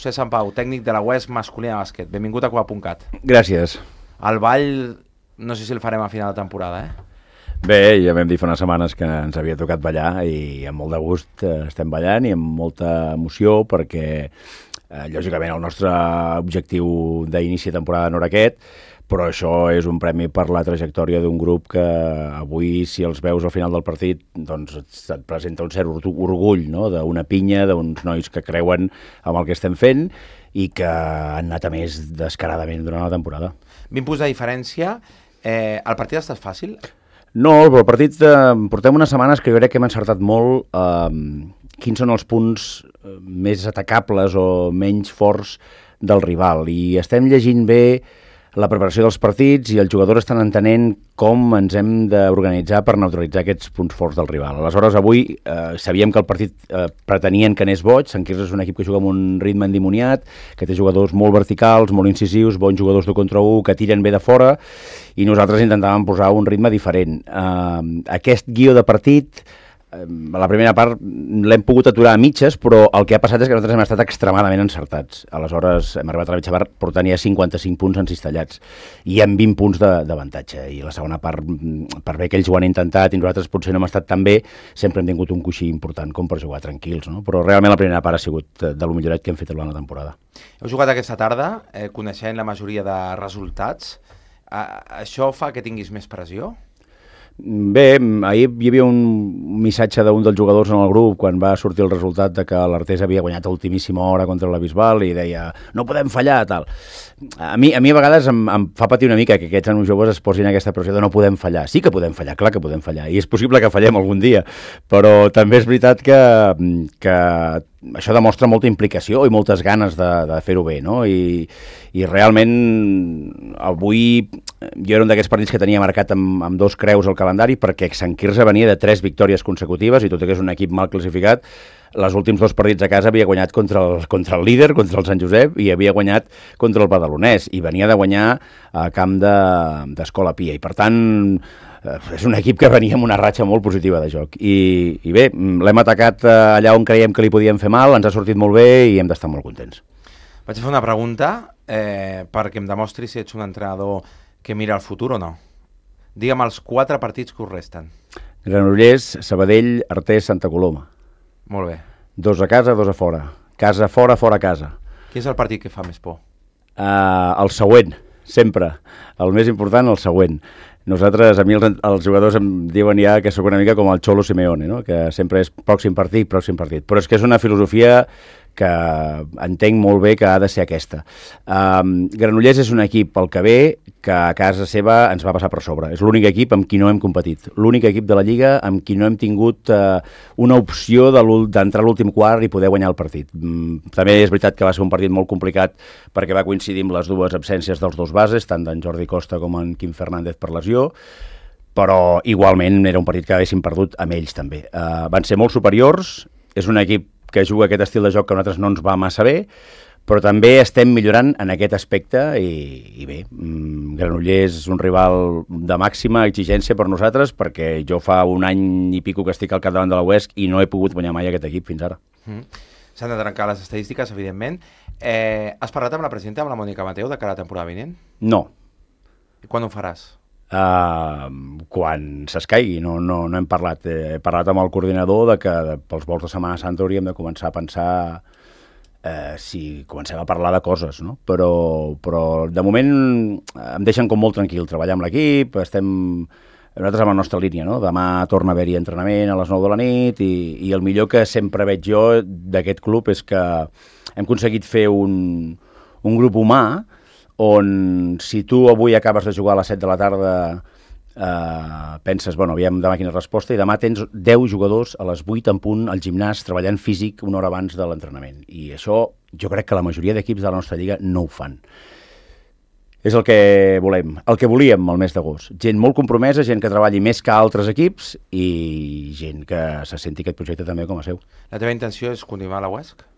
José Sant Pau, tècnic de la UES masculina de bàsquet. Benvingut a Copa.cat. Gràcies. El ball, no sé si el farem a final de temporada, Bé, ja vam dir fa unes setmanes que ens havia tocat ballar i amb molt de gust estem ballant i amb molta emoció perquè, lògicament, el nostre objectiu d'inici de temporada no era aquest, però això és un premi per la trajectòria d'un grup que avui, si els veus al final del partit, doncs et presenta un cert orgull, no?, d'una pinya, d'uns nois que creuen amb el que estem fent i que han anat a més descaradament durant la temporada. 20 punts de diferència. El partit ha estat fàcil? No, però el partit portem unes setmanes que jo crec que hem encertat molt quins són els punts més atacables o menys forts del rival, i estem llegint bé la preparació dels partits i els jugadors estan entenent com ens hem d'organitzar per neutralitzar aquests punts forts del rival. Aleshores, avui sabíem que el partit pretenien que anés boig. Sant Quirze és un equip que juga amb un ritme endimoniat, que té jugadors molt verticals, molt incisius, bons jugadors de contra 1, que tiren bé de fora, i nosaltres intentàvem posar un ritme diferent. Aquest guió de partit, la primera part l'hem pogut aturar a mitges, però el que ha passat és que nosaltres hem estat extremadament encertats. Aleshores hem arribat a la mitja part portant ja 55 punts encistellats i amb 20 punts d'avantatge, i la segona part, per bé que ells ho han intentat i nosaltres potser no hem estat tan bé, sempre hem tingut un coixí important com per jugar tranquils, no? Però realment la primera part ha sigut de lo millorat que hem fet durant la temporada. Heu jugat aquesta tarda, coneixent la majoria de resultats. Això fa que tinguis més pressió? Bé, ahir hi havia un missatge d'un dels jugadors en el grup quan va sortir el resultat de que l'Artés havia guanyat a ultimíssima hora contra la Bisbal i deia, no podem fallar, tal. A mi a vegades em fa patir una mica que aquests nanos joves es posin aquesta pressió de no podem fallar. Sí que podem fallar, clar que podem fallar, i és possible que fallem algun dia, però també és veritat que això demostra molta implicació i moltes ganes de fer-ho bé, no? I realment avui jo era un d'aquests partits que tenia marcat amb 2 creus al calendari perquè Sant Quirze venia de 3 victòries consecutives i tot i que és un equip mal classificat, els últims 2 partits a casa havia guanyat contra el líder, contra el Sant Josep, i havia guanyat contra el Badalonès, i venia de guanyar a camp d'Escola Pia, i per tant és un equip que venia amb una ratxa molt positiva de joc, i bé, l'hem atacat allà on creiem que li podíem fer mal, ens ha sortit molt bé i hem d'estar molt contents. Vaig a fer una pregunta perquè em demostri si ets un entrenador que mira el futur o no. Digue'm els 4 partits que us resten. Granollers, Sabadell, Artés, Santa Coloma. Molt bé. 2 a casa, 2 a fora. Casa fora, fora casa. Quin és el partit que fa més por? El següent, sempre. El més important, el següent. Nosaltres, a mi els jugadors em diuen ja que sóc una mica com el Cholo Simeone, no? Que sempre és pròxim partit. Però és que és una filosofia que entenc molt bé que ha de ser aquesta. Granollers és un equip pel que ve que a casa seva ens va passar per sobre. És l'únic equip amb qui no hem competit. L'únic equip de la Lliga amb qui no hem tingut una opció d'entrar a l'últim quart i poder guanyar el partit. També és veritat que va ser un partit molt complicat perquè va coincidir amb les 2 absències dels 2 bases, tant d'en Jordi Costa com en Quim Fernández per lesió, però igualment era un partit que haguéssim perdut amb ells també. Van ser molt superiors, és un equip que juga aquest estil de joc que a nosaltres no ens va massa bé, però també estem millorant en aquest aspecte i bé, Granollers és un rival de màxima exigència per nosaltres perquè jo fa un any i pico que estic al capdavant de la UESC i no he pogut guanyar mai aquest equip fins ara. S'han de trencar les estadístiques, evidentment. Has parlat amb la presidenta, amb la Mònica Mateu, de cara a la temporada vinent? No. I quan ho faràs? Quan s'escaigui, no hem parlat. He parlat amb el coordinador de que pels vols de Setmana Santa hauríem de començar a pensar si comencem a parlar de coses, no? Però de moment em deixen com molt tranquil treballar amb l'equip, nosaltres amb la nostra línia, no? Demà torna a haver-hi entrenament a les 9 de la nit i el millor que sempre veig jo d'aquest club és que hem aconseguit fer un grup humà on si tu avui acabes de jugar a les 7 de la tarda penses, bueno, aviam demà quina resposta, i demà tens 10 jugadors a les 8 en punt al gimnàs treballant físic una hora abans de l'entrenament. I això jo crec que la majoria d'equips de la nostra lliga no ho fan. És el que volem, el que volíem el mes d'agost. Gent molt compromesa, gent que treballi més que altres equips i gent que se senti aquest projecte també com a seu. La teva intenció és continuar a la UESC?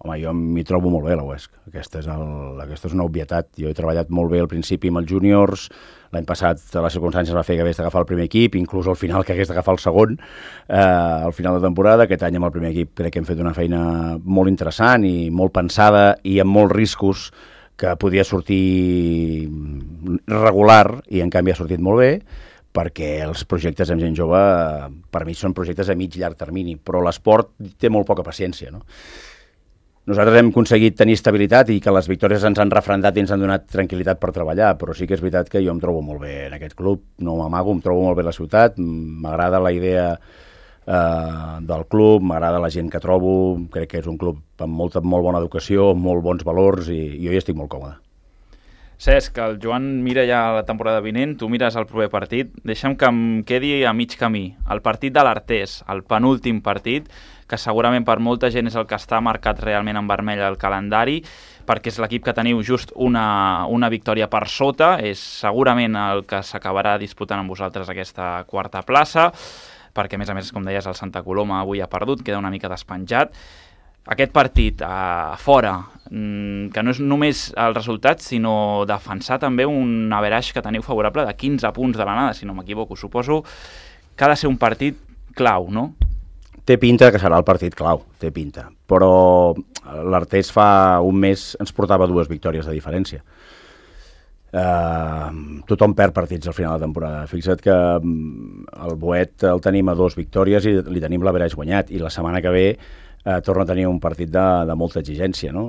Home, jo m'hi trobo molt bé, la UESC. Aquesta és una obvietat. Jo he treballat molt bé al principi amb els júniors, l'any passat les circumstàncies va fer que hagués d'agafar el primer equip, inclús al final que hagués d'agafar el segon, al final de temporada. Aquest any amb el primer equip crec que hem fet una feina molt interessant i molt pensada i amb molts riscos, que podia sortir regular i en canvi ha sortit molt bé, perquè els projectes amb gent jove per mi són projectes a mig i llarg termini, però l'esport té molt poca paciència, no? Nosaltres hem aconseguit tenir estabilitat i que les victòries ens han refrendat i ens han donat tranquil·litat per treballar, però sí que és veritat que jo em trobo molt bé en aquest club, no m'amago, em trobo molt bé a la ciutat, m'agrada la idea del club, m'agrada la gent que trobo, crec que és un club amb molt bona educació, amb molt bons valors i jo hi estic molt còmode. Cesc, el Joan mira ja la temporada vinent, tu mires el proper partit, deixa'm que em quedi a mig camí. El partit de l'Artés, el penúltim partit, que segurament per molta gent és el que està marcat realment en vermell al calendari, perquè és l'equip que teniu just una victòria per sota, és segurament el que s'acabarà disputant amb vosaltres aquesta quarta plaça, perquè a més, com deies, el Santa Coloma avui ha perdut, queda una mica despenjat. Aquest partit a fora, que no és només el resultat, sinó defensar també un average que teniu favorable de 15 punts de l'anada, si no m'equivoco. Suposo que ha de ser un partit clau, no? Té pinta que serà el partit clau, té pinta. Però l'Artés fa un mes ens portava 2 victòries de diferència. Tothom perd partits al final de temporada. Fixa't que el Boet el tenim a 2 victòries i li tenim l'average guanyat, i la setmana que ve torna a tenir un partit de molta exigència, no?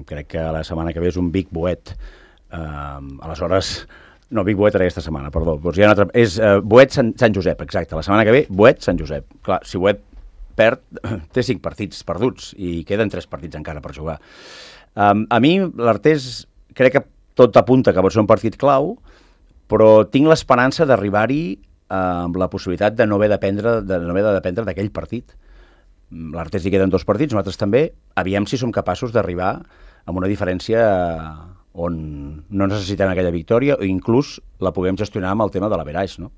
Crec que la setmana que ve és un Vic Boet. Aleshores, no, Vic Boet era aquesta setmana, perdó. Doncs hi ha una altra, és Boet Sant Josep, exacte. La setmana que ve, Boet Sant Josep. Clar, si Boet perd, té 5 partits perduts i queden 3 partits encara per jugar. A mi, l'Artés, crec que tot apunta que pot ser un partit clau, però tinc l'esperança d'arribar-hi amb la possibilitat de no haver de dependre d'aquell partit. L'Artés hi queden 2 partits, nosaltres també. Aviam si som capaços d'arribar amb una diferència on no necessitem aquella victòria o inclús la puguem gestionar amb el tema de l'average, no?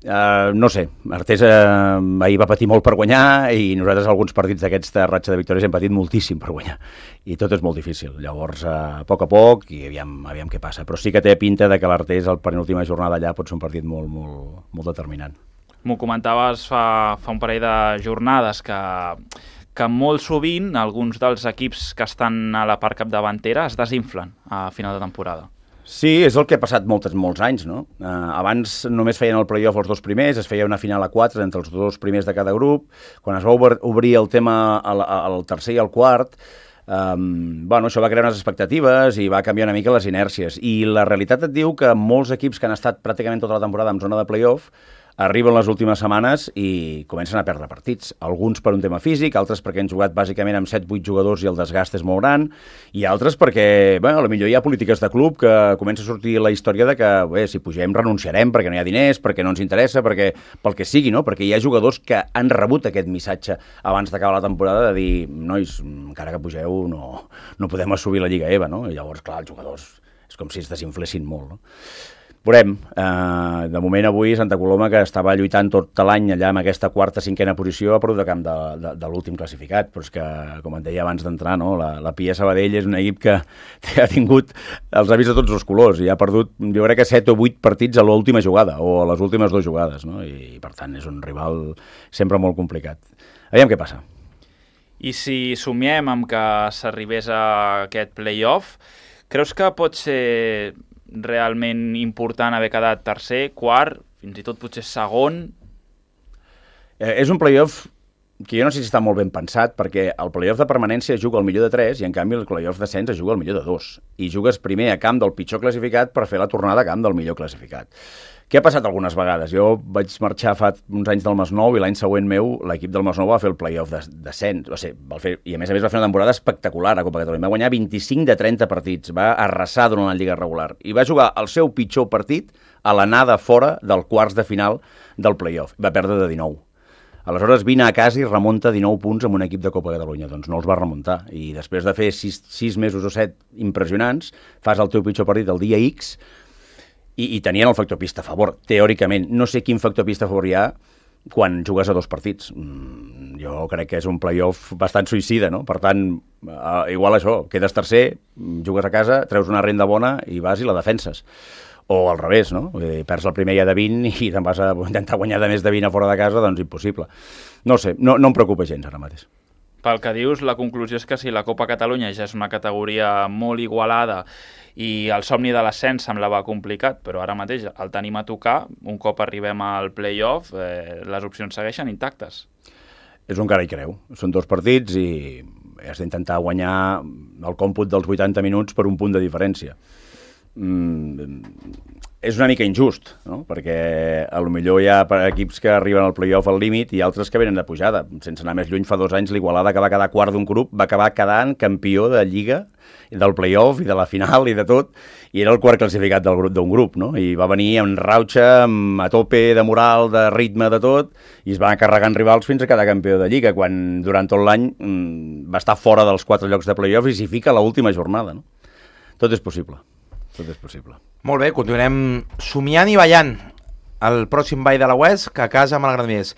No sé, Artés ahir va patir molt per guanyar i nosaltres alguns partits d'aquesta ratxa de victòries hem patit moltíssim per guanyar i tot és molt difícil. Llavors, a poc i aviam què passa. Però sí que té pinta de que l'Artés, el penúltima jornada allà, pot ser un partit molt determinant. M'ho comentaves fa un parell de jornades que molt sovint alguns dels equips que estan a la part capdavantera es desinflen a final de temporada. Sí, és el que ha passat molts anys, no? Abans només feien el play-off els 2 primers, es feia una final a 4 entre els 2 primers de cada grup. Quan es va obrir el tema al tercer i al quart, això va crear unes expectatives i va canviar una mica les inèrcies. I la realitat et diu que molts equips que han estat pràcticament tota la temporada en zona de play-off arriben les últimes setmanes i comencen a perdre partits. Alguns per un tema físic, altres perquè han jugat bàsicament amb 7-8 jugadors i el desgast és molt gran, i altres perquè, potser hi ha polítiques de club que comença a sortir la història de que, si pugem renunciarem perquè no hi ha diners, perquè no ens interessa, pel que sigui, no? Perquè hi ha jugadors que han rebut aquest missatge abans d'acabar la temporada de dir, nois, encara que pugeu no podem assumir la Lliga EVA, no? I llavors, clar, els jugadors és com si es desinflessin molt, no? Veurem. De moment avui Santa Coloma, que estava lluitant tot l'any allà amb aquesta quarta, cinquena posició, ha perdut de camp de l'últim classificat, però és que, com et deia abans d'entrar, no? La Pia Sabadell és un equip que ha tingut els avis de tots els colors i ha perdut, jo crec que 7 o 8 partits a l'última jugada o a les últimes 2 jugades, no? I per tant és un rival sempre molt complicat. Aviam què passa. I si somiem amb que s'arribés a aquest play-off, creus que pot ser realment important haver quedat tercer, quart, fins i tot potser segon? És un play-off que jo no sé si està molt ben pensat, perquè el play-off de permanència juga el millor de 3 i en canvi el play-off d'ascens es juga el millor de 2. I jugues primer a camp del pitjor classificat per fer la tornada a camp del millor classificat. Què ha passat algunes vegades? Jo vaig marxar fa uns anys del Masnou i l'any següent meu l'equip del Masnou va fer el play-off d'ascens. I a més va fer una temporada espectacular a Copa Catalunya. Va guanyar 25 de 30 partits, va arrasar durant la Lliga regular i va jugar el seu pitjor partit a l'anada fora del quarts de final del play-off. Va perdre de 19. Aleshores vine a casa i remunta 19 punts amb un equip de Copa Catalunya. Doncs no els va remuntar. I després de fer 6 mesos o 7 impressionants, fas el teu pitjor partit el dia X i tenien el factor pista a favor, teòricament. No sé quin factor pista a favor hi ha, quan jugues a 2 partits. Jo crec que és un play-off bastant suïcida, no? Per tant, igual això, quedes tercer, jugues a casa, treus una renda bona i vas i la defenses. O al revés, no? Perds el primer ja de 20 i te'n vas a intentar guanyar de més de 20 a fora de casa, doncs impossible. No sé, no em preocupa gens ara mateix. Pel que dius, la conclusió és que si la Copa Catalunya ja és una categoria molt igualada i el somni de l'ascens semblava complicat, però ara mateix el tenim a tocar, un cop arribem al play-off, les opcions segueixen intactes. És un cara i creu. Són 2 partits i has d'intentar guanyar el còmput dels 80 minuts per un punt de diferència. És una mica injust, no? Perquè potser hi ha equips que arriben al play-off al límit i altres que venen de pujada. Sense anar més lluny, fa 2 anys l'Igualada, que va quedar quart d'un grup, va acabar quedant campió de Lliga, del play-off i de la final i de tot, i era el quart classificat d'un grup, no? I va venir amb rauxa, a tope de moral, de ritme, de tot, i es va carregant rivals fins a quedar campió de Lliga, quan durant tot l'any va estar fora dels 4 llocs de play-off i s'hi fica a l'última jornada, no? Tot és possible. Tot és possible. Molt bé, continuarem somiant i ballant el pròxim ball de la West, que a casa amb el Granollers.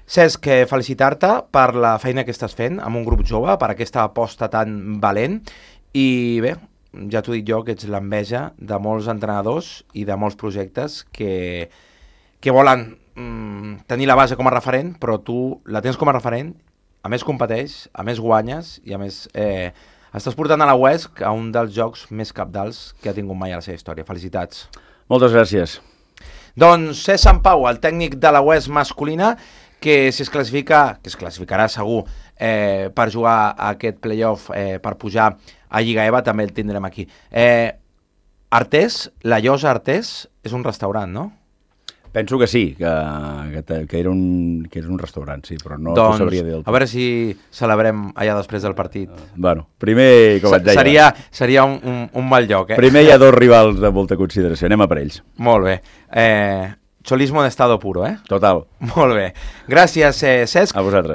Cesc, felicitar-te per la feina que estàs fent amb un grup jove, per aquesta aposta tan valent, i bé, ja t'ho dic jo, que ets l'enveja de molts entrenadors i de molts projectes que volen tenir la base com a referent, però tu la tens com a referent, a més competeix, a més guanyes i a més estàs portant a la West a un dels jocs més cabdals que ha tingut mai a la seva història. Felicitats. Moltes gràcies. Doncs Cesc Sampau, el tècnic de la West masculina, que si es classifica, que es classificarà segur per jugar a aquest play-off, per pujar a Lliga EVA, també el tindrem aquí. Artés, la Llosa Artés, és un restaurant, no? Penso que sí, que era un restaurant, sí, però no doncs, sabria dir del tot. A veure si celebrem allà després del partit. Bueno, primer, com et deia... Seria un mal lloc, eh? Primer hi ha 2 rivals de molta consideració, anem a per ells. Molt bé. Cholismo en estado puro, eh? Total. Molt bé. Gràcies, Cesc. A vosaltres.